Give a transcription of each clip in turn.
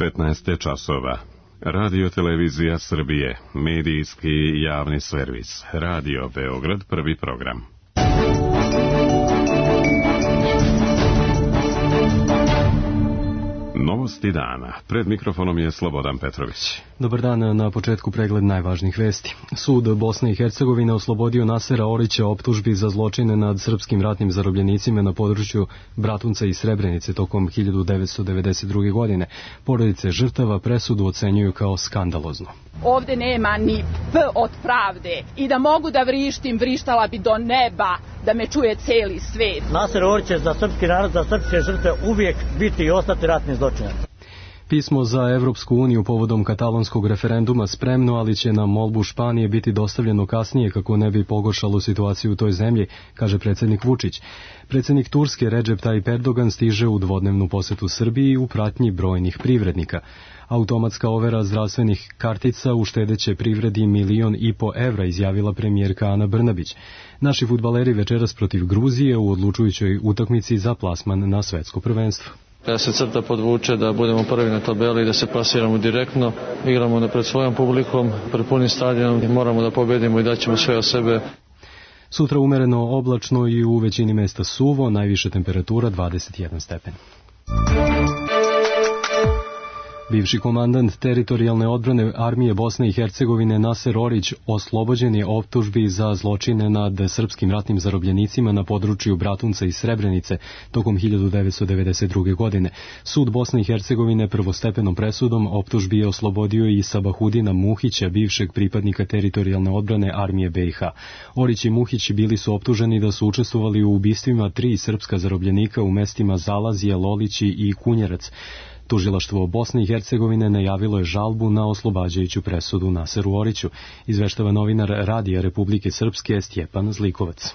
15 časova. Radio Televizija Srbije, medijski javni servis. Radio Beograd, prvi program. Novosti dana. Pred mikrofonom je Slobodan Petrović. Dobar dan, na početku pregled najvažnijih vesti. Sud Bosne i Hercegovine oslobodio Nasera Orića optužbi za zločine nad srpskim ratnim zarobljenicima na području Bratunca i Srebrenice tokom 1992. godine. Porodice žrtava presudu ocenjuju kao skandaloznu. Ovde nema ni P od pravde i da mogu da vrištim, vrištala bi do neba da me čuje celi svet. Naser Orić će za srpski narod, za srpske žrtve uvijek biti i ostati ratni zločinac. Pismo za Evropsku uniju povodom katalonskog referenduma spremno, ali će na molbu Španije biti dostavljeno kasnije kako ne bi pogoršalo situaciju u toj zemlji, kaže predsjednik Vučić. Predsjednik Turske Recep Tayyip Erdogan stiže u dvodnevnu posetu Srbiji u pratnji brojnih privrednika. Automatska overa zdravstvenih kartica uštedeće privredi 1,5 miliona evra, izjavila premijerka Ana Brnabić. Naši fudbaleri večeras protiv Gruzije u odlučujućoj utakmici za plasman na svetsko prvenstvo. Kada se crta podvuče da budemo prvi na tabeli i da se plasiramo direktno, igramo pred svojom publikom, pred punim stadionom i moramo da pobedimo i daćemo sve od sebe. Sutra umereno oblačno i u većini mesta suvo, najviša temperatura 21 stepen. Bivši komandant teritorijalne odbrane armije Bosne i Hercegovine Naser Orić oslobođen je optužbi za zločine nad srpskim ratnim zarobljenicima na području Bratunca i Srebrenice tokom 1992. godine. Sud Bosne i Hercegovine prvostepenom presudom optužbi je oslobodio i Sabahudina Muhića, bivšeg pripadnika teritorijalne odbrane armije BiH. Orić i Muhić bili su optuženi da su učestvovali u ubistvima 3 srpska zarobljenika u mestima Zalazije, Lolići i Kunjerac. Tužilaštvo Bosne i Hercegovine najavilo je žalbu na oslobađajuću presudu Naseru Oriću, izveštava novinar Radija Republike Srpske Stjepan Zlikovac.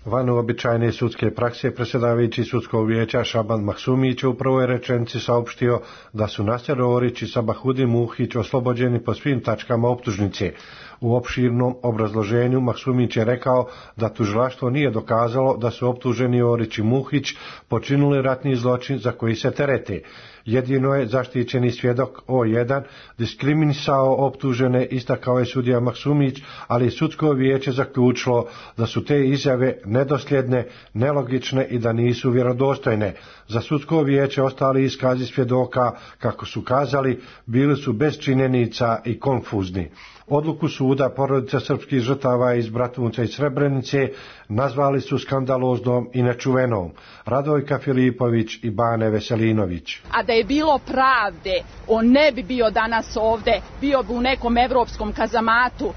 Van uobičajene sudske prakse, predsjedavajući sudskog vijeća Šaban Maksumić u prvoj rečenici saopštio da su Naser Orić i Sabahudin Muhić oslobođeni po svim tačkama optužnice. U opširnom obrazloženju Maksumić je rekao da tužilaštvo nije dokazalo da su optuženi Orić i Muhić počinili ratni zločin za koji se terete. Jedino je zaštićeni svjedok O1 diskriminisao optužene, istakao je sudija Maksumić, ali je sudsko vijeće zaključilo da su te izjave nedosljedne, nelogične i da nisu vjerodostojne. Za sudsko vijeće ostali iskazi svjedoka, kako su kazali, bili su bez činjenica i konfuzni. Odluku suda porodica srpskih žrtava iz Bratunca i Srebrenice nazvali su skandaloznom i nečuvenom. Radojka Filipović i Bane Veselinović. A da je bilo pravde, on ne bi bio danas ovde, bio bi u nekom evropskom kazamatu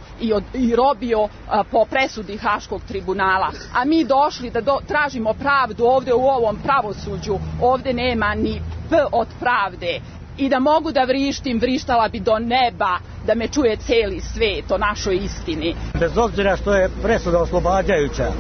i robio po presudi Haškog tribunala. A mi došli da tražimo pravdu ovde u ovom pravosuđu, ovde nema ni P od pravde. I da mogu da vrištim, vrištala bi do neba da me čuje celi svet o našoj istini. Bez obzira što je presuda oslobađajuća,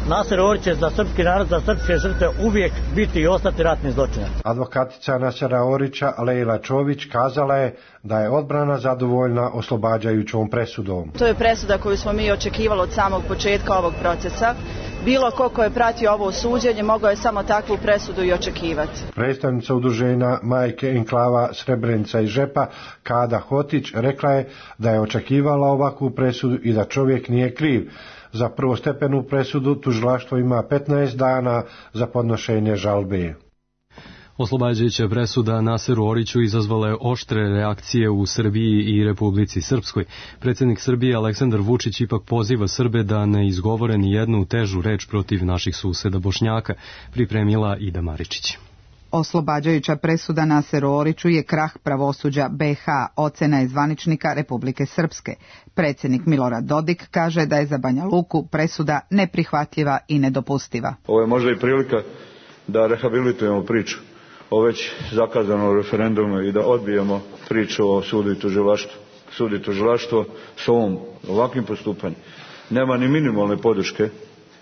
Naser Orić će za srpski narod, za srpske žrtve uvijek biti i ostati ratni zločinac. Advokatica Nasera Orića Lejla Čović kazala je da je odbrana zadovoljna oslobađajućom presudom. To je presuda koju smo mi očekivali od samog početka ovog procesa. Bilo ko je pratio ovo suđenje mogao je samo takvu presudu i očekivati. Predstavnica udruženja Majke enklava Srebrenica i Žepa Kada Hotić rekla je da je očekivala ovakvu presudu i da čovjek nije kriv. Za prvostepenu presudu tužilaštvo ima 15 dana za podnošenje žalbe. Oslobađajuća presuda Naseru Oriću izazvala je oštre reakcije u Srbiji i Republici Srpskoj. Predsjednik Srbije Aleksandar Vučić ipak poziva Srbe da ne izgovore ni jednu težu reč protiv naših suseda Bošnjaka, pripremila Ida Maričić. Oslobađajuća presuda Naseru Oriću je krah pravosuđa BiH, ocena je zvaničnika Republike Srpske. Predsjednik Milorad Dodik kaže da je za Banja Luku presuda neprihvatljiva i nedopustiva. Ovo je možda i prilika da rehabilitujemo priču o već zakazanom referendumu i da odbijemo priču o sudu i tužilaštvu. Sud i tužilaštvo s ovakvim postupanjem nema ni minimalne podrške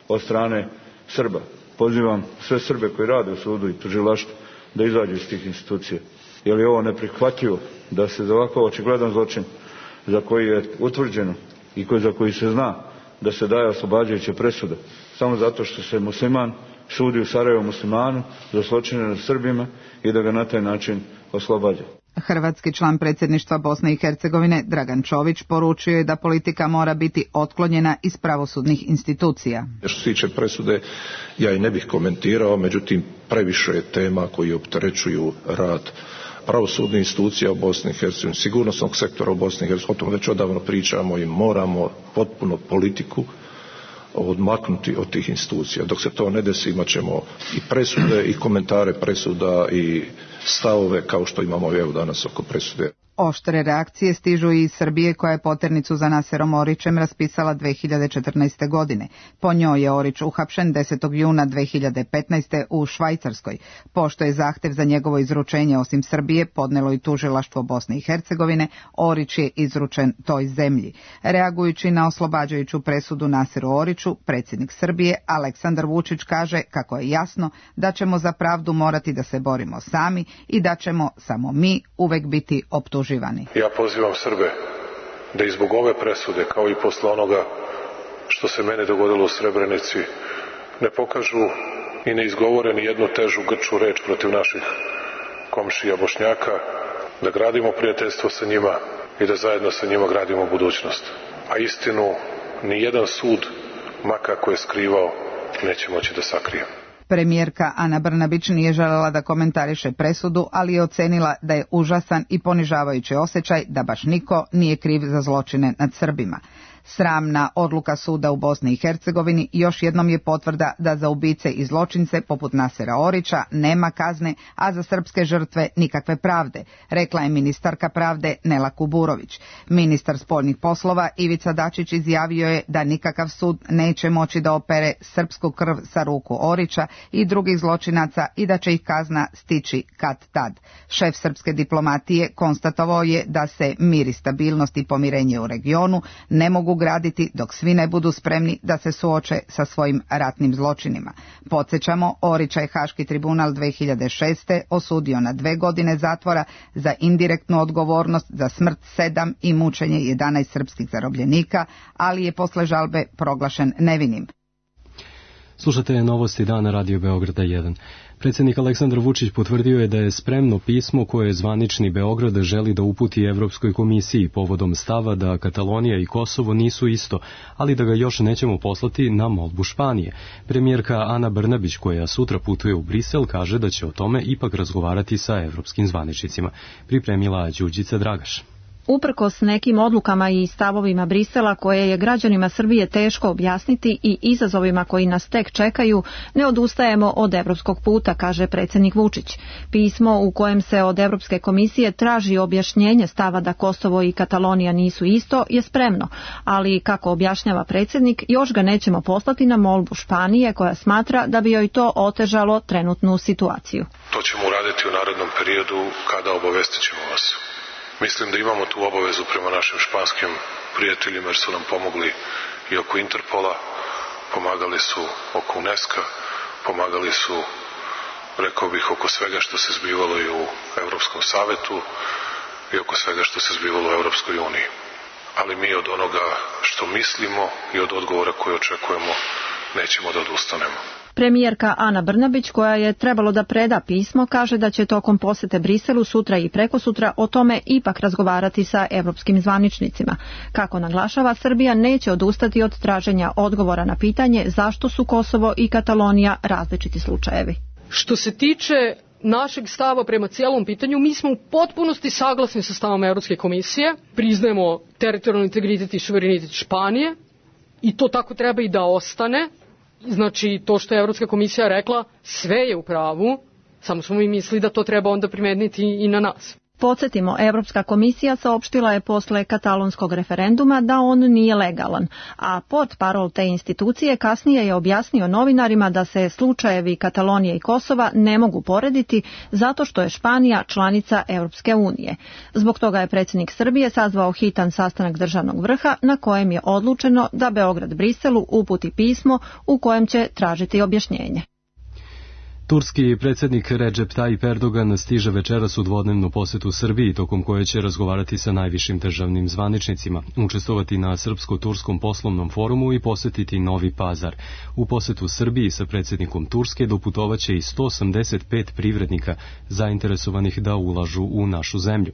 od strane Srba. Pozivam sve Srbe koji rade u sudu i tužilaštvu da izađu iz tih institucija. Jer je ovo neprihvatljivo da se za ovako očigledan zločin za koji je utvrđeno i za koji se zna da se daje oslobađajuća presuda samo zato što se musliman, sudi u Sarajevu Muslimanu za zločine nad Srbima i da ga na taj način oslobađa. Hrvatski član predsjedništva Bosne i Hercegovine Dragan Čović poručio je da politika mora biti otklonjena iz pravosudnih institucija. Što se tiče presude, ja i ne bih komentirao, međutim previše je tema koji opterećuju rad pravosudnih institucija u Bosni i Hercegovini, sigurnosnog sektora u Bosni i Hercegovini, o tom već odavno pričamo i moramo potpuno politiku odmaknuti od tih institucija. Dok se to ne desi, imat ćemo i presude i komentare presuda i stavove kao što imamo evo danas oko presude. Oštre reakcije stižu i iz Srbije koja je poternicu za Naserom Orićem raspisala 2014. godine. Po njoj je Orić uhapšen 10. juna 2015. u Švajcarskoj. Pošto je zahtev za njegovo izručenje osim Srbije podnelo i tužilaštvo Bosne i Hercegovine, Orić je izručen toj zemlji. Reagujući na oslobađajuću presudu Naseru Oriću, predsjednik Srbije Aleksandar Vučić kaže kako je jasno da ćemo za pravdu morati da se borimo sami i da ćemo samo mi uvek biti optuženi. Ja pozivam Srbe da i zbog ove presude, kao i posle onoga što se mene dogodilo u Srebrenici, ne pokažu i ne izgovore ni jednu težu grču reč protiv naših komšija Bošnjaka, da gradimo prijateljstvo sa njima i da zajedno sa njima gradimo budućnost. A istinu ni jedan sud, ma kako je skrivao, neće moći da sakrije. Premijerka Ana Brnabić nije želela da komentariše presudu, ali je ocenila da je užasan i ponižavajući osjećaj da baš niko nije kriv za zločine nad Srbima. Sramna odluka suda u Bosni i Hercegovini još jednom je potvrda da za ubice i zločince poput Nasera Orića nema kazne, a za srpske žrtve nikakve pravde, rekla je ministarka pravde Nela Kuburović. Ministar spoljnih poslova Ivica Dačić izjavio je da nikakav sud neće moći da opere srpsku krv sa ruku Orića i drugih zločinaca i da će ih kazna stići kad tad. Šef srpske diplomatije konstatovao je da se mir i stabilnost i pomirenje u regionu ne mogu graditi dok svi ne budu spremni da se suoče sa svojim ratnim zločinima. Podsjećamo, Orića je Haški tribunal 2006. osudio na 2 godine zatvora za indirektnu odgovornost za smrt 7 i mučenje 11 srpskih zarobljenika, ali je posle žalbe proglašen nevinim. Slušate novosti dana Radio Beograda 1. Predsjednik Aleksandar Vučić potvrdio je da je spremno pismo koje zvanični Beograd želi da uputi Evropskoj komisiji povodom stava da Katalonija i Kosovo nisu isto, ali da ga još nećemo poslati na molbu Španije. Premijerka Ana Brnabić, koja sutra putuje u Brisel, kaže da će o tome ipak razgovarati sa evropskim zvaničnicima. Pripremila Đurđica Dragaš. Uprkos nekim odlukama i stavovima Brisela koje je građanima Srbije teško objasniti i izazovima koji nas tek čekaju, ne odustajemo od evropskog puta, kaže predsjednik Vučić. Pismo u kojem se od Evropske komisije traži objašnjenje stava da Kosovo i Katalonija nisu isto je spremno, ali kako objašnjava predsjednik, još ga nećemo poslati na molbu Španije koja smatra da bi joj to otežalo trenutnu situaciju. To ćemo uraditi u narednom periodu kada obavestit ćemo vas. Mislim da imamo tu obavezu prema našim španskim prijateljima jer su nam pomogli i oko Interpola, pomagali su oko UNESCO, pomagali su, rekao bih, oko svega što se zbivalo i u Evropskom savetu i oko svega što se zbivalo u Evropskoj uniji. Ali mi od onoga što mislimo i od odgovora koje očekujemo nećemo da odustanemo. Premijerka Ana Brnabić, koja je trebalo da preda pismo, kaže da će tokom posete Briselu sutra i prekosutra o tome ipak razgovarati sa evropskim zvaničnicima. Kako naglašava, Srbija neće odustati od traženja odgovora na pitanje zašto su Kosovo i Katalonija različiti slučajevi. Što se tiče našeg stava prema cijelom pitanju, mi smo u potpunosti saglasni sa stavom Evropske komisije, priznajemo teritorijalni integritet i suverenitet Španije i to tako treba i da ostane. Znači, to što je Evropska komisija rekla, sve je u pravu, samo smo mi mislili da to treba onda primeniti i na nas. Podsjetimo, Evropska komisija saopštila je posle katalonskog referenduma da on nije legalan, a portparol te institucije kasnije je objasnio novinarima da se slučajevi Katalonije i Kosova ne mogu porediti zato što je Španija članica Evropske unije. Zbog toga je predsjednik Srbije sazvao hitan sastanak državnog vrha na kojem je odlučeno da Beograd Briselu uputi pismo u kojem će tražiti objašnjenje. Turski predsjednik Recep Tayyip Erdogan stiže večeras u dvodnevnu posetu Srbiji, tokom koje će razgovarati sa najvišim državnim zvaničnicima, učestvovati na Srpsko-turskom poslovnom forumu i posetiti Novi Pazar. U posetu Srbiji sa predsjednikom Turske doputovaće i 185 privrednika zainteresovanih da ulažu u našu zemlju,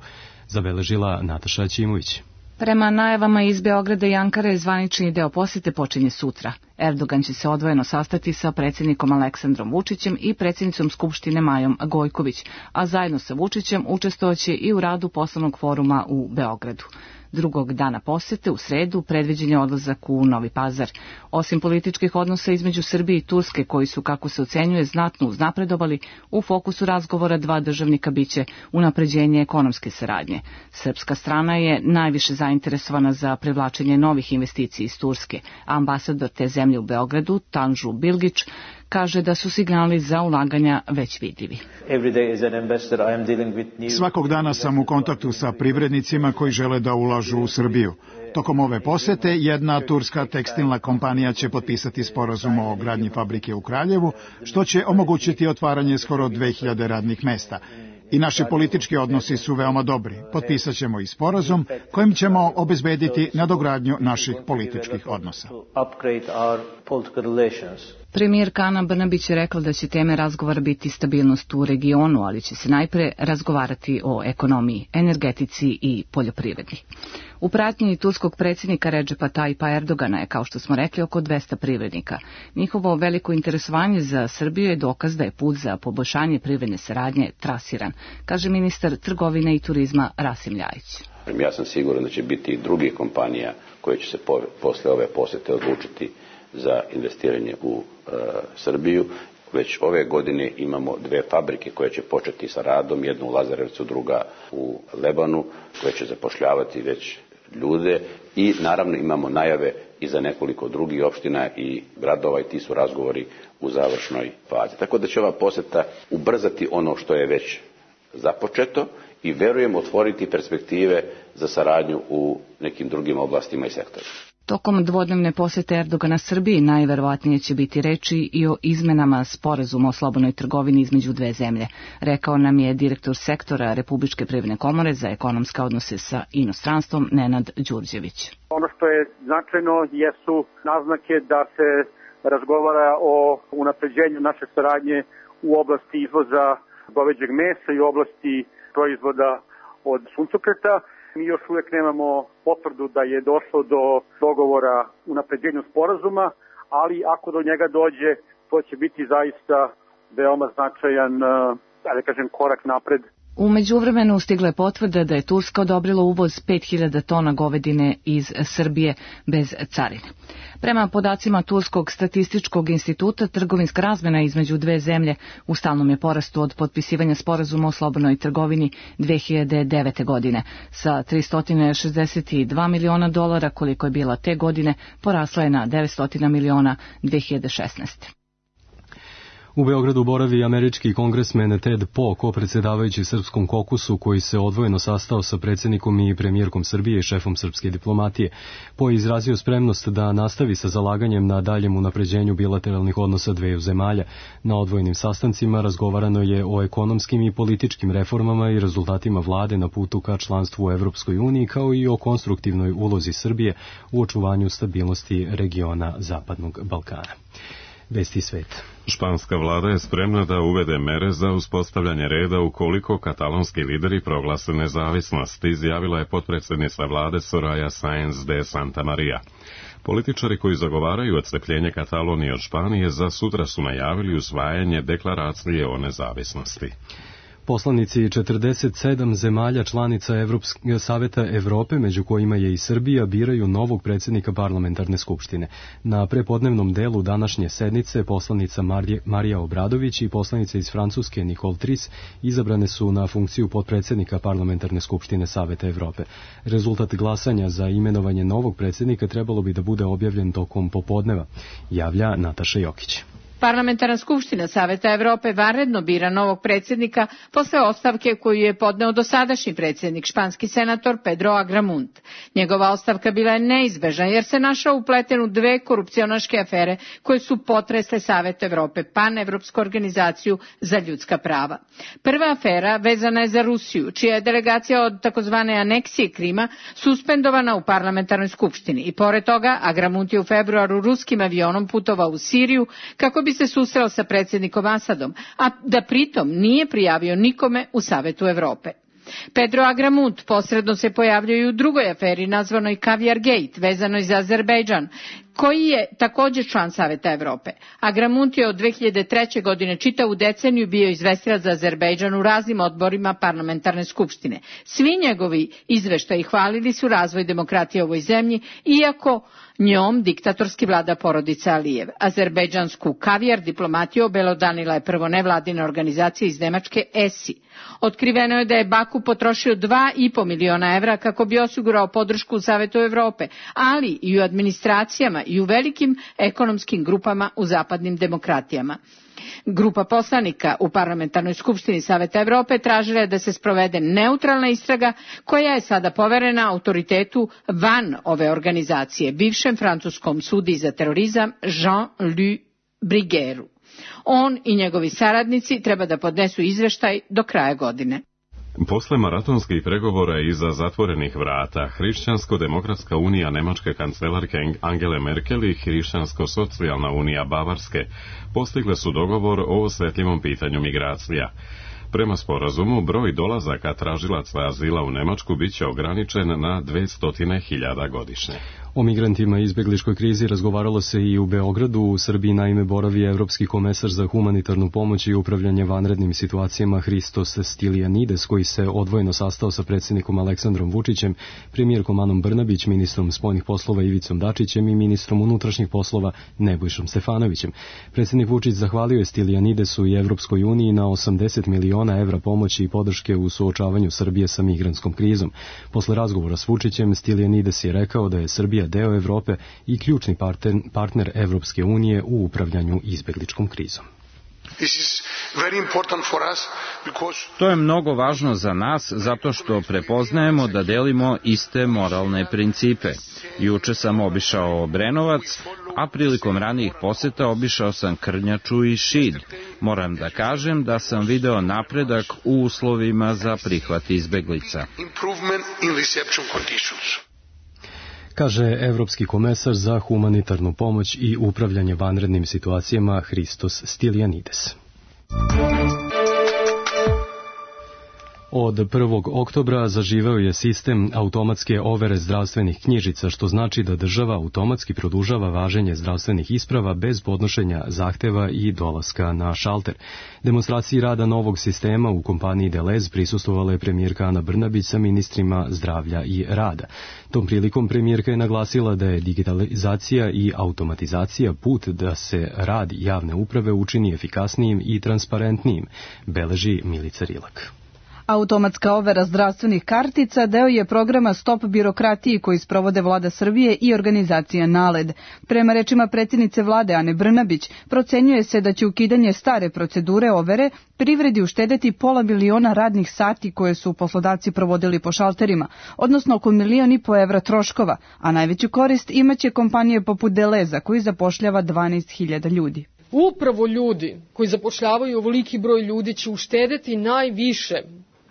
zabeležila Nataša Ćimović. Prema najavama iz Beograda i Ankare, zvanični deo posete počinje sutra. Erdogan će se odvojeno sastati sa predsjednikom Aleksandrom Vučićem i predsjednicom Skupštine Majom Gojković, a zajedno sa Vučićem učestvovaće i u radu poslovnog foruma u Beogradu. Drugog dana posete, u sredu, predviđen je odlazak u Novi Pazar. Osim političkih odnosa između Srbije i Turske, koji su, kako se ocenjuje, znatno uznapredovali, u fokusu razgovora dva državnika biće unapređenje ekonomske saradnje. Srpska strana je najviše zainteresovana za privlačenje novih investicija iz Turske. Ambasador te zemlje u Beogradu, Tanžu Bilgić, kaže da su signali za ulaganja već vidljivi. Svakog dana sam u kontaktu sa privrednicima koji žele da ulažu u Srbiju. Tokom ove posete jedna turska tekstilna kompanija će potpisati sporazum o gradnji fabrike u Kraljevu, što će omogućiti otvaranje skoro 2000 radnih mesta. I naši politički odnosi su veoma dobri. Potpisat ćemo i sporazum kojim ćemo obezbediti nadogradnju naših političkih odnosa. Premijerka Ana Brnabić je rekla da će teme razgovora biti stabilnost u regionu, ali će se najpre razgovarati o ekonomiji, energetici i poljoprivredi. U pratnji turskog predsjednika Recepa Tayyipa Erdogana je, kao što smo rekli, oko 200 privrednika. Njihovo veliko interesovanje za Srbiju je dokaz da je put za poboljšanje privredne saradnje trasiran, kaže ministar trgovine i turizma Rasim Ljajić. Ja sam siguran da će biti i drugih kompanija koje će se posle ove posete odlučiti za investiranje u Srbiju. Već ove godine imamo dve fabrike koje će početi sa radom, jednu u Lazarevcu, druga u Lebanu, koje će zapošljavati već ljude i naravno imamo najave i za nekoliko drugih opština i gradova i ti su razgovori u završnoj fazi. Tako da će ova poseta ubrzati ono što je već započeto i verujem otvoriti perspektive za saradnju u nekim drugim oblastima i sektorima. Tokom dvodnevne posete Erdogana Srbiji najverovatnije će biti reči i o izmenama sporazuma o slobodnoj trgovini između dve zemlje, rekao nam je direktor sektora Republičke privredne komore za ekonomske odnose sa inostranstvom Nenad Đurđević. Ono što je značajno jesu naznake da se razgovara o unapređenju naše saradnje u oblasti izvoza goveđeg mesa i u oblasti proizvoda od suncokreta. Mi još uvijek nemamo potvrdu da je došlo do dogovora u napređenju sporazuma, ali ako do njega dođe, to će biti zaista veoma značajan, korak napred. U međuvremenu stigla je potvrda da je Turska odobrila uvoz 5000 tona govedine iz Srbije bez carine. Prema podacima Turskog statističkog instituta, trgovinska razmena između dve zemlje u stalnom je porastu od potpisivanja sporazuma o slobodnoj trgovini 2009. godine. Sa $362 miliona koliko je bila te godine, porasla je na 900 miliona 2016. U Beogradu boravi američki kongresmen Ted Poe, kopredsjedavajući Srpskom kokusu, koji se odvojeno sastao sa predsjednikom i premijerkom Srbije i šefom srpske diplomatije. Poe je izrazio spremnost da nastavi sa zalaganjem na daljem unapređenju bilateralnih odnosa dveju zemalja. Na odvojenim sastancima razgovarano je o ekonomskim i političkim reformama i rezultatima vlade na putu ka članstvu u Evropskoj uniji, kao i o konstruktivnoj ulozi Srbije u očuvanju stabilnosti regiona Zapadnog Balkana. Vesti svet. Španska vlada je spremna da uvede mere za uspostavljanje reda ukoliko katalonski lideri proglase nezavisnost, izjavila je potpredsjednica vlade Soraya Sáenz de Santamaría. Političari koji zagovaraju odcepljenje Katalonije od Španije za sutra su najavili usvajanje deklaracije o nezavisnosti. Poslanici 47 zemalja članica Saveta Evrope, među kojima je i Srbija, biraju novog predsjednika parlamentarne skupštine. Na prepodnevnom delu današnje sednice poslanica Marija Obradović i poslanica iz Francuske Nicole Tris izabrane su na funkciju potpredsjednika parlamentarne skupštine Saveta Evrope. Rezultat glasanja za imenovanje novog predsjednika trebalo bi da bude objavljen tokom popodneva, javlja Nataša Jokić. Parlamentarna skupština Saveta Evrope vanredno bira novog predsjednika posle ostavke koju je podneo dosadašnji predsjednik, španski senator Pedro Agramunt. Njegova ostavka bila je neizbežna jer se našao upleten u dve korupcionaške afere koje su potresle Savet Evrope, panevropsku organizaciju za ljudska prava. Prva afera vezana je za Rusiju, čija je delegacija od takozvane aneksije Krima suspendovana u parlamentarnoj skupštini i pored toga Agramunt je u februaru ruskim avionom putovao u Siriju kako bi se susreo sa predsjednikom Asadom, a da pritom nije prijavio nikome u Savetu Evrope. Pedro Agramunt posredno se pojavljuje i u drugoj aferi nazvanoj Caviar Gate, vezanoj za Azerbejdžan, koji je također član Saveta Evrope. Agramunt je od 2003. godine čitavu deceniju bio izvestilac za Azerbejdžan u raznim odborima parlamentarne skupštine. Svi njegovi izveštaji hvalili su razvoj demokratije u ovoj zemlji, iako njom diktatorski vlada porodica Alijev. Azerbejdžansku kavijar diplomatiju obelodanila je prvo nevladina organizacija iz Nemačke ESI. Otkriveno je da je Baku potrošio 2,5 miliona evra kako bi osigurao podršku u Savetu Evrope, ali i u administracijama i u velikim ekonomskim grupama u zapadnim demokratijama. Grupa poslanika u parlamentarnoj skupštini Saveta Evrope tražila je da se sprovede neutralna istraga koja je sada poverena autoritetu van ove organizacije, bivšem francuskom sudiji za terorizam Jean-Louis Bruguièru. On i njegovi saradnici treba da podnesu izveštaj do kraja godine. Posle maratonskih pregovora iza zatvorenih vrata, Hrišćansko-demokratska unija nemačke kancelarke Angele Merkel i Hrišćansko-socijalna unija Bavarske postigle su dogovor o osjetljivom pitanju migracija. Prema sporazumu, broj dolazaka tražilaca azila u Nemačku biće ograničen na 200.000 godišnje. O migrantima i izbegličkoj krizi razgovaralo se i u Beogradu. U Srbiji naime boravi Evropski komesar za humanitarnu pomoć i upravljanje vanrednim situacijama Hristos Stylianides, koji se odvojeno sastao sa predsjednikom Aleksandrom Vučićem, premijerkom Anom Brnabić, ministrom spoljnih poslova Ivicom Dačićem i ministrom unutrašnjih poslova Nebojšom Stefanovićem. Predsjednik Vučić zahvalio je Stylianidesu i Evropskoj uniji na 80 miliona evra pomoći i podrške u suočavanju Srbije sa migrantskom krizom. Posle razgovora s Vučićem, Stylianides je rekao da je Srbija deo Evrope i ključni partner Evropske unije u upravljanju izbegličkom krizom. To je mnogo važno za nas zato što prepoznajemo da delimo iste moralne principe. Juče sam obišao Obrenovac, a prilikom ranijih poseta obišao sam Krnjaču i Šid. Moram da kažem da sam video napredak u uslovima za prihvat izbeglica. Kaže Evropski komesar za humanitarnu pomoć i upravljanje vanrednim situacijama Hristos Stylianides. Od 1. oktobra zaživeo je sistem automatske overe zdravstvenih knjižica, što znači da država automatski produžava važenje zdravstvenih isprava bez podnošenja zahteva i dolaska na šalter. Demonstraciji rada novog sistema u kompaniji Delez prisustvovala je premijerka Ana Brnabić sa ministrima zdravlja i rada. Tom prilikom premijerka je naglasila da je digitalizacija i automatizacija put da se rad javne uprave učini efikasnijim i transparentnijim, beleži Milica Rilak. Automatska overa zdravstvenih kartica deo je programa Stop birokratiji koji sprovode Vlada Srbije i organizacija NALED. Prema rečima predsjednice Vlade Ane Brnabić, procenjuje se da će ukidanje stare procedure overe privredi uštedeti $500 miliona radnih sati koje su poslodavci provodili po šalterima, odnosno oko 1,5 miliona evra troškova, a najveću korist imaće kompanije poput Deleza koji zapošljava 12.000 ljudi. Upravo ljudi koji zapošljavaju ovoliki broj ljudi će uštedeti najviše,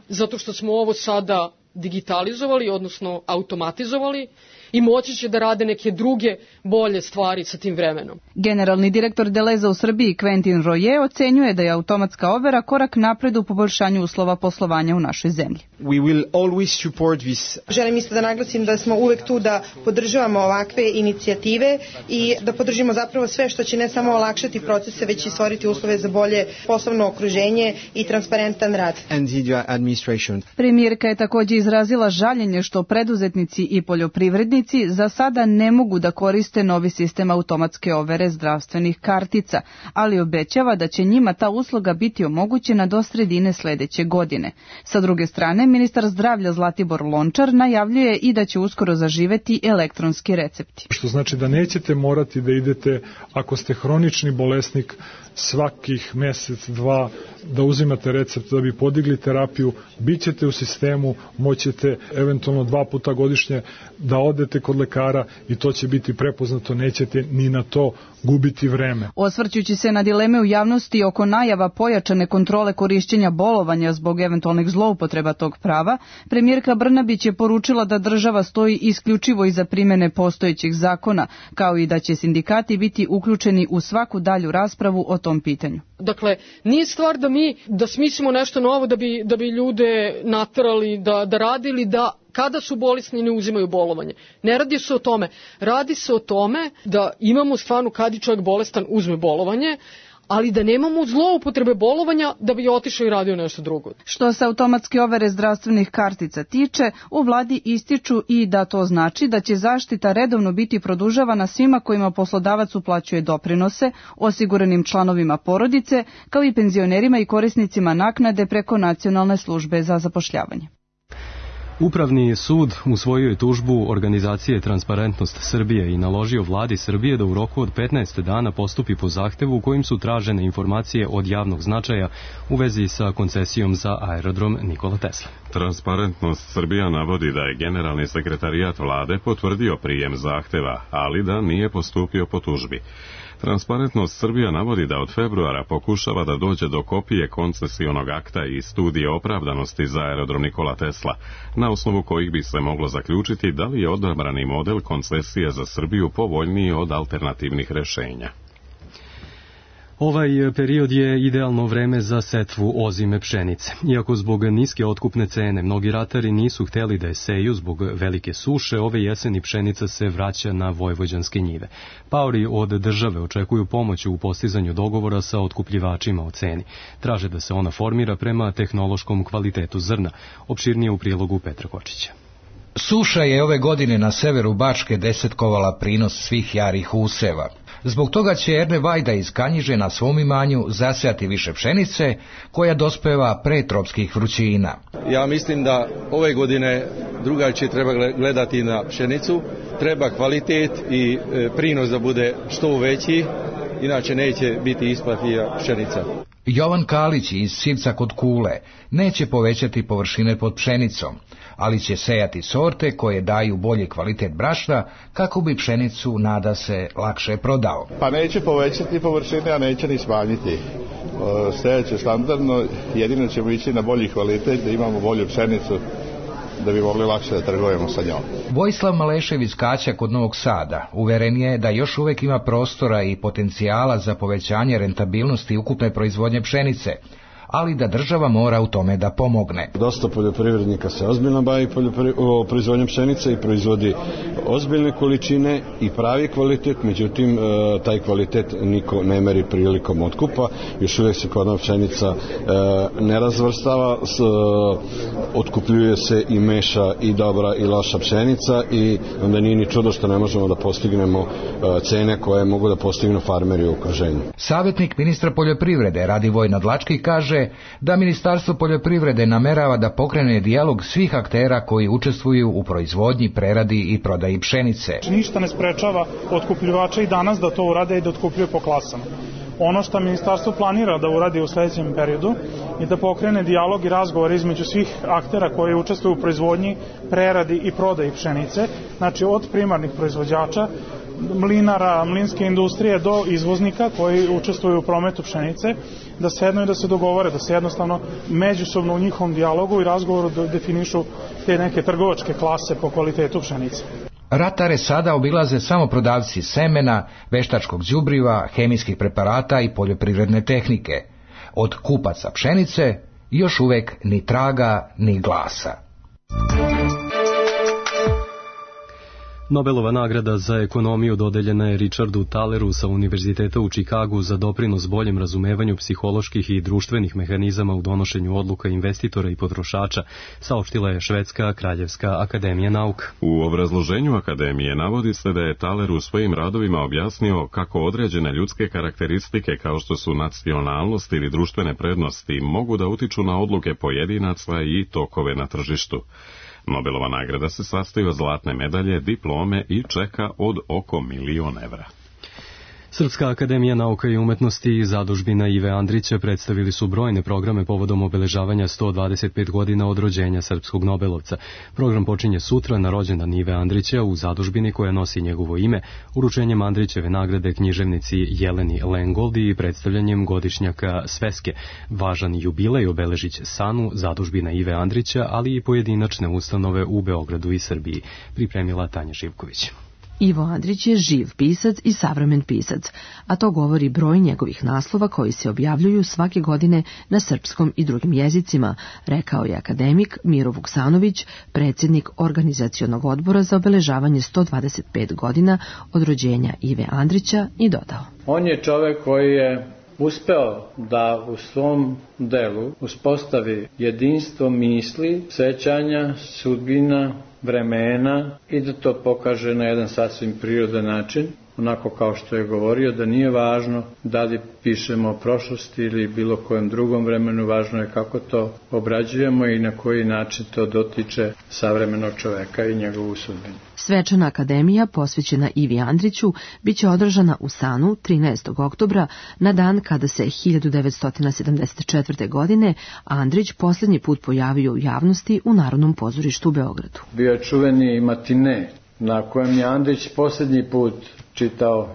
zato što smo ovo sada digitalizovali, odnosno automatizovali, i moći će da rade neke druge bolje stvari sa tim vremenom. Generalni direktor Deleza u Srbiji Quentin Royer ocenjuje da je automatska overa korak napred u poboljšanju uslova poslovanja u našoj zemlji. Želim isto da naglasim da smo uvek tu da podržavamo ovakve inicijative i da podržimo zapravo sve što će ne samo olakšati procese, već i stvoriti uslove za bolje poslovno okruženje i transparentan rad. Premijerka je također izrazila žaljenje što preduzetnici i poljoprivrednici poljoprivrednici za sada ne mogu da koriste novi sistem automatske overe zdravstvenih kartica, ali obećava da će njima ta usluga biti omogućena do sredine sledeće godine. Sa druge strane, ministar zdravlja Zlatibor Lončar najavljuje i da će uskoro zaživeti elektronski recepti. Što znači da nećete morati da idete, ako ste hronični bolesnik, svakih mesec, dva, da uzimate recept da bi podigli terapiju, bit ćete u sistemu, moćete eventualno 2 puta godišnje da odete kod lekara i to će biti prepoznato, nećete ni na to gubiti vreme. Osvrćući se na dileme u javnosti oko najava pojačane kontrole korišćenja bolovanja zbog eventualnih zloupotreba tog prava, premijerka Brnabić je poručila da država stoji isključivo iza primene postojećih zakona, kao i da će sindikati biti uključeni u svaku dalju raspravu o tom pitanju. Dakle, nije stvar da smislimo nešto novo da bi ljude naterali da radili, da kada su bolesni ne uzimaju bolovanje. Ne radi se o tome. Radi se o tome da imamo stvarno kad je čovjek bolestan uzme bolovanje, ali da nemamo zloupotrebe bolovanja da bi otišao i radio nešto drugo. Što se automatske overe zdravstvenih kartica tiče, u vladi ističu i da to znači da će zaštita redovno biti produžavana svima kojima poslodavac uplaćuje doprinose, osiguranim članovima porodice, kao i penzionerima i korisnicima naknade preko Nacionalne službe za zapošljavanje. Upravni sud usvojio je tužbu organizacije Transparentnost Srbije i naložio vladi Srbije da u roku od 15 dana postupi po zahtevu kojim su tražene informacije od javnog značaja u vezi sa koncesijom za aerodrom Nikola Tesla. Transparentnost Srbija navodi da je generalni sekretarijat vlade potvrdio prijem zahteva, ali da nije postupio po tužbi. Transparentnost Srbija navodi da od februara pokušava da dođe do kopije koncesionog akta i studije opravdanosti za aerodrom Nikola Tesla, na osnovu kojih bi se moglo zaključiti da li je odabrani model koncesije za Srbiju povoljniji od alternativnih rešenja. Ovaj period je idealno vreme za setvu ozime pšenice. Iako zbog niske otkupne cene mnogi ratari nisu hteli da je seju zbog velike suše, ove jeseni pšenica se vraća na vojvođanske njive. Paori od države očekuju pomoć u postizanju dogovora sa otkupljivačima o ceni. Traže da se ona formira prema tehnološkom kvalitetu zrna. Opširnije u prilogu Petra Kočića. Suša je ove godine na severu Bačke desetkovala prinos svih jarih useva. Zbog toga će Erne Vajda iz Kanjiže na svom imanju zasejati više pšenice koja dospeva pre tropskih vrućina. Ja mislim da ove godine drugačije treba gledati na pšenicu, treba kvalitet i prinos da bude što veći, inače neće biti isplativa pšenica. Jovan Kalić iz Sivca kod Kule neće povećati površine pod pšenicom, ali će sejati sorte koje daju bolji kvalitet brašna kako bi pšenicu, nada se, lakše prodao. Pa neće povećati površine, a neće ni smanjiti. Sejaće standardno, jedino ćemo ići na bolji kvalitet, da imamo bolju pšenicu, da bi mogli lakše da trgujemo sa njom. Vojislav Malešev iz Kaća kod Novog Sada uveren je da još uvek ima prostora i potencijala za povećanje rentabilnosti ukupne proizvodnje pšenice, ali da država mora u tome da pomogne. Dosta poljoprivrednika se ozbiljno bavi proizvodnjom pšenice i proizvodi ozbiljne količine i pravi kvalitet, međutim taj kvalitet niko ne meri prilikom otkupa. Još uvijek se kod nas pšenica ne razvrstava, otkupljuje se i meša i dobra i loša pšenica i onda nije ni čudo što ne možemo da postignemo cene koje mogu da postignu farmeri u okruženju. Savjetnik ministra poljoprivrede Radivoj Nadlački kaže da Ministarstvo poljoprivrede namerava da pokrene dijalog svih aktera koji učestvuju u proizvodnji, preradi i prodaji pšenice. Ništa ne sprečava otkupljivača i danas da to urade i da otkupljuju po klasama. Ono što ministarstvo planira da uradi u sledećem periodu je da pokrene dijalog i razgovor između svih aktera koji učestvuju u proizvodnji, preradi i prodaji pšenice, znači od primarnih proizvođača, mlinara, mlinske industrije do izvoznika koji učestvuju u prometu pšenice, da sednu i da se dogovore, da se jednostavno međusobno u njihovom dijalogu i razgovoru definišu te neke trgovačke klase po kvalitetu pšenice. Ratare sada obilaze samo prodavci semena, veštačkog đubriva, hemijskih preparata i poljoprivredne tehnike. Od kupaca pšenice još uvek ni traga ni glasa. Nobelova nagrada za ekonomiju dodeljena je Richardu Taleru sa Univerziteta u Čikagu za doprinos boljem razumevanju psiholoških i društvenih mehanizama u donošenju odluka investitora i potrošača, saopštila je Švedska Kraljevska akademija nauka. U obrazloženju akademije navodi se da je Taler u svojim radovima objasnio kako određene ljudske karakteristike kao što su nacionalnost ili društvene prednosti mogu da utiču na odluke pojedinaca i tokove na tržištu. Nobelova nagrada se sastoji od zlatne medalje, diplome i čeka od oko 1.000.000 evra. Srpska akademija nauka i umetnosti i zadužbina Ive Andrića predstavili su brojne programe povodom obeležavanja 125 godina od rođenja srpskog Nobelovca. Program počinje sutra na rođendan Ive Andrića u zadužbini koja nosi njegovo ime, uručenjem Andrićeve nagrade književnici Jeleni Lengoldi i predstavljanjem godišnjaka Sveske. Važan jubilej obeležić Sanu, zadužbina Ive Andrića, ali i pojedinačne ustanove u Beogradu i Srbiji, pripremila Tanja Živković. Ivo Andrić je živ pisac i savremen pisac, a to govori broj njegovih naslova koji se objavljuju svake godine na srpskom i drugim jezicima, rekao je akademik Miro Vuksanović, predsjednik organizacionog odbora za obeležavanje 125 godina od rođenja Ive Andrića, i dodao. On je čovjek koji je uspeo da u svom delu uspostavi jedinstvo misli, sećanja, sudbina, vremena i da to pokaže na jedan sasvim prirodan način, onako kao što je govorio, da nije važno da li pišemo o prošlosti ili bilo kojem drugom vremenu, važno je kako to obrađujemo i na koji način to dotiče savremenog čoveka i njegovu sudbinu. Svečana akademija posvećena Ivi Andriću biće održana u Sanu 13. oktobra, na dan kada se 1974. godine Andrić posljednji put pojavio u javnosti u Narodnom pozorištu u Beogradu. Bio je čuveni matine na kojem je Andrić posljednji put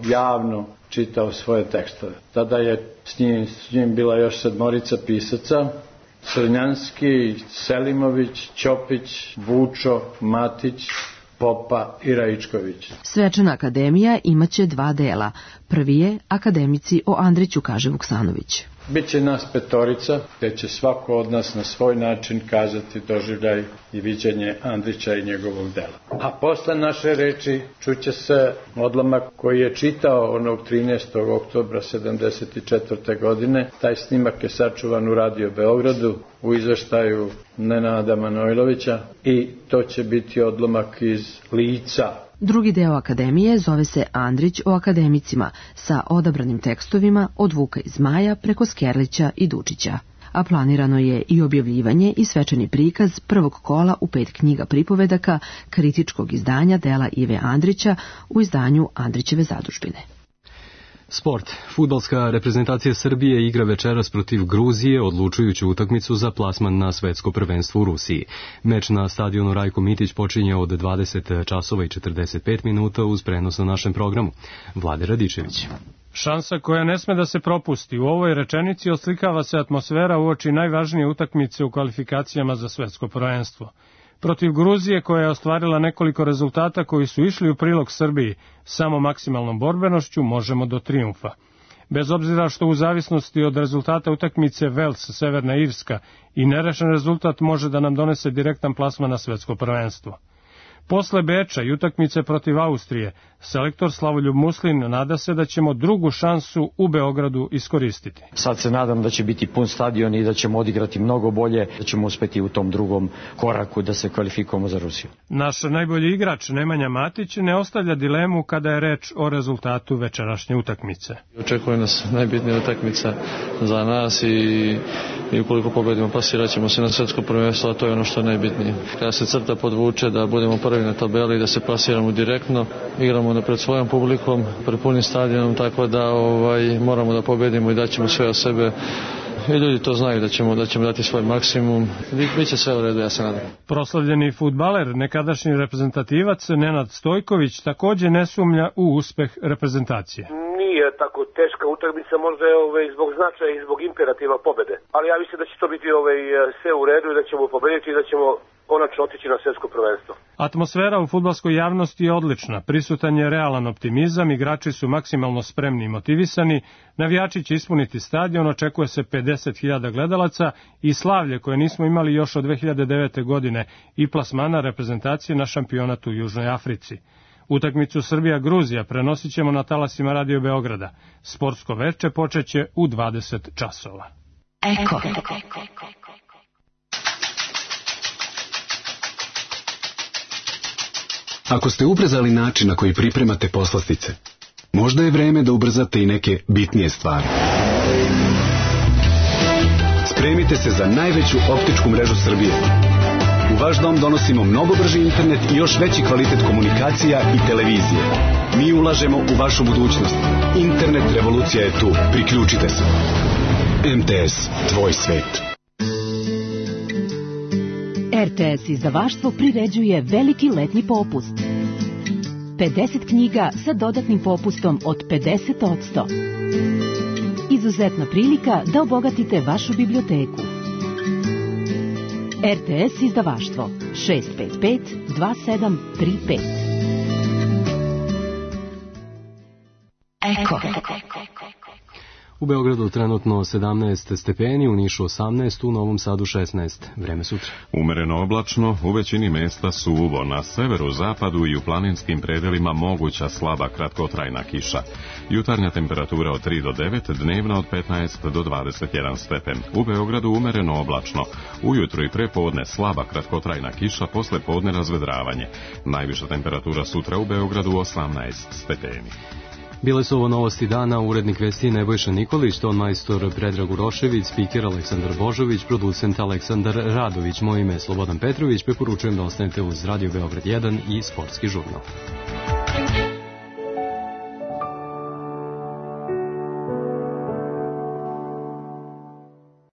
javno čitao svoje tekstove. Tada je s njim bila još 7 pisaca: Crnjanski, Selimović, Ćopić, Vučo, Matić, Popa i Raičković. Svečana akademija imaće 2 dela. Prvi je Akademici o Andriću, kaže Vuksanović. Biće nas 5, gdje će svako od nas na svoj način kazati doživljaj i viđenje Andrića i njegovog dela. A posle naše reči čuće se odlomak koji je čitao onog 13. oktobra 1974. godine. Taj snimak je sačuvan u Radio Beogradu u izveštaju Nenada Manojlovića i to će biti odlomak iz lica. Drugi deo akademije zove se Andrić o akademicima, sa odabranim tekstovima od Vuka i Zmaja preko Skerlića i Dučića. A planirano je i objavljivanje i svečani prikaz prvog kola u 5 knjiga pripovedaka kritičkog izdanja dela Ive Andrića u izdanju Andrićeve zadužbine. Sport. Fudbalska reprezentacija Srbije igra večeras protiv Gruzije odlučujuću utakmicu za plasman na svetsko prvenstvo u Rusiji. Meč na stadionu Rajko Mitić počinje od 20 časova i 45 minuta uz prenos na našem programu. Vlade Radičević. Šansa koja ne sme da se propusti. U ovoj rečenici oslikava se atmosfera uoči najvažnije utakmice u kvalifikacijama za svetsko prvenstvo. Protiv Gruzije, koja je ostvarila nekoliko rezultata koji su išli u prilog Srbiji, samo maksimalnom borbenošću možemo do trijumfa. Bez obzira što u zavisnosti od rezultata utakmice Vels, Severna Irska i nerešen rezultat može da nam donese direktan plasman na svetsko prvenstvo. Posle Beča i utakmice protiv Austrije, selektor Slavoljub Muslin nada se da ćemo drugu šansu u Beogradu iskoristiti. Sad se nadam da će biti pun stadion i da ćemo odigrati mnogo bolje, da ćemo uspeti u tom drugom koraku da se kvalifikujemo za Rusiju. Naš najbolji igrač Nemanja Matić ne ostavlja dilemu kada je reč o rezultatu večerašnje utakmice. Očekuje nas najbitnija utakmica za nas i ukoliko pobedimo plasirat ćemo se na svetsko prvenstvo, a to je ono što je najbitnije. Kada se crta podvuče da budemo prvi na tabeli, da se plasiramo direktno, igramo pred svojom publikom, pred punim stadionom, tako da moramo da pobedimo i daćemo sve od sebe. I ljudi to znaju da ćemo dati svoj maksimum. Biće sve u redu, ja se nadam. Proslavljeni fudbaler, nekadašnji reprezentativac Nenad Stojković također ne sumnja u uspeh reprezentacije. Nije tako teška utakmica, možda je zbog značaja i zbog imperativa pobede. Ali ja mislim da će to biti sve u redu i da ćemo pobediti i da ćemo konačno otići na svjetsko prvenstvo. Atmosfera u fudbalskoj javnosti je odlična, prisutan je realan optimizam, igrači su maksimalno spremni i motivisani, navijači će ispuniti stadion, očekuje se 50.000 gledalaca i slavlje koje nismo imali još od 2009. godine i plasmana reprezentacije na šampionatu u Južnoj Africi. Utakmicu Srbija-Gruzija prenosit ćemo na talasima Radio Beograda. Sportsko veče počeće u 20 časova. Eko. Ako ste ubrzali način na koji pripremate poslastice, možda je vreme da ubrzate i neke bitnije stvari. Spremite se za najveću optičku mrežu Srbije. U vaš dom donosimo mnogo brži internet i još veći kvalitet komunikacija i televizije. Mi ulažemo u vašu budućnost. Internet revolucija je tu. Priključite se. MTS, tvoj svet. RTS izdavaštvo priređuje veliki letnji popust. 50 knjiga sa dodatnim popustom od 50%. Izuzetna prilika da obogatite vašu biblioteku. RTS izdavaštvo 655 2735. Eko. U Beogradu trenutno 17 stepeni, u Nišu 18, u Novom Sadu 16. Vreme sutra. Umereno oblačno, u većini mesta suvo, na severu, zapadu i u planinskim predelima moguća slaba kratkotrajna kiša. Jutarnja temperatura od 3 do 9, dnevna od 15 do 21 stepen. U Beogradu umereno oblačno, ujutro i prepodne slaba kratkotrajna kiša, posle podne razvedravanje. Najviša temperatura sutra u Beogradu 18 stepeni. Bile su ovo novosti dana, urednik vesti Nebojša Nikolić, ton majstor Predrag Urošević, spiker Aleksandar Božović, producent Aleksandar Radović, moje ime je Slobodan Petrović, preporučujem da ostanete uz Radio Beograd 1 i Sportski žurnal.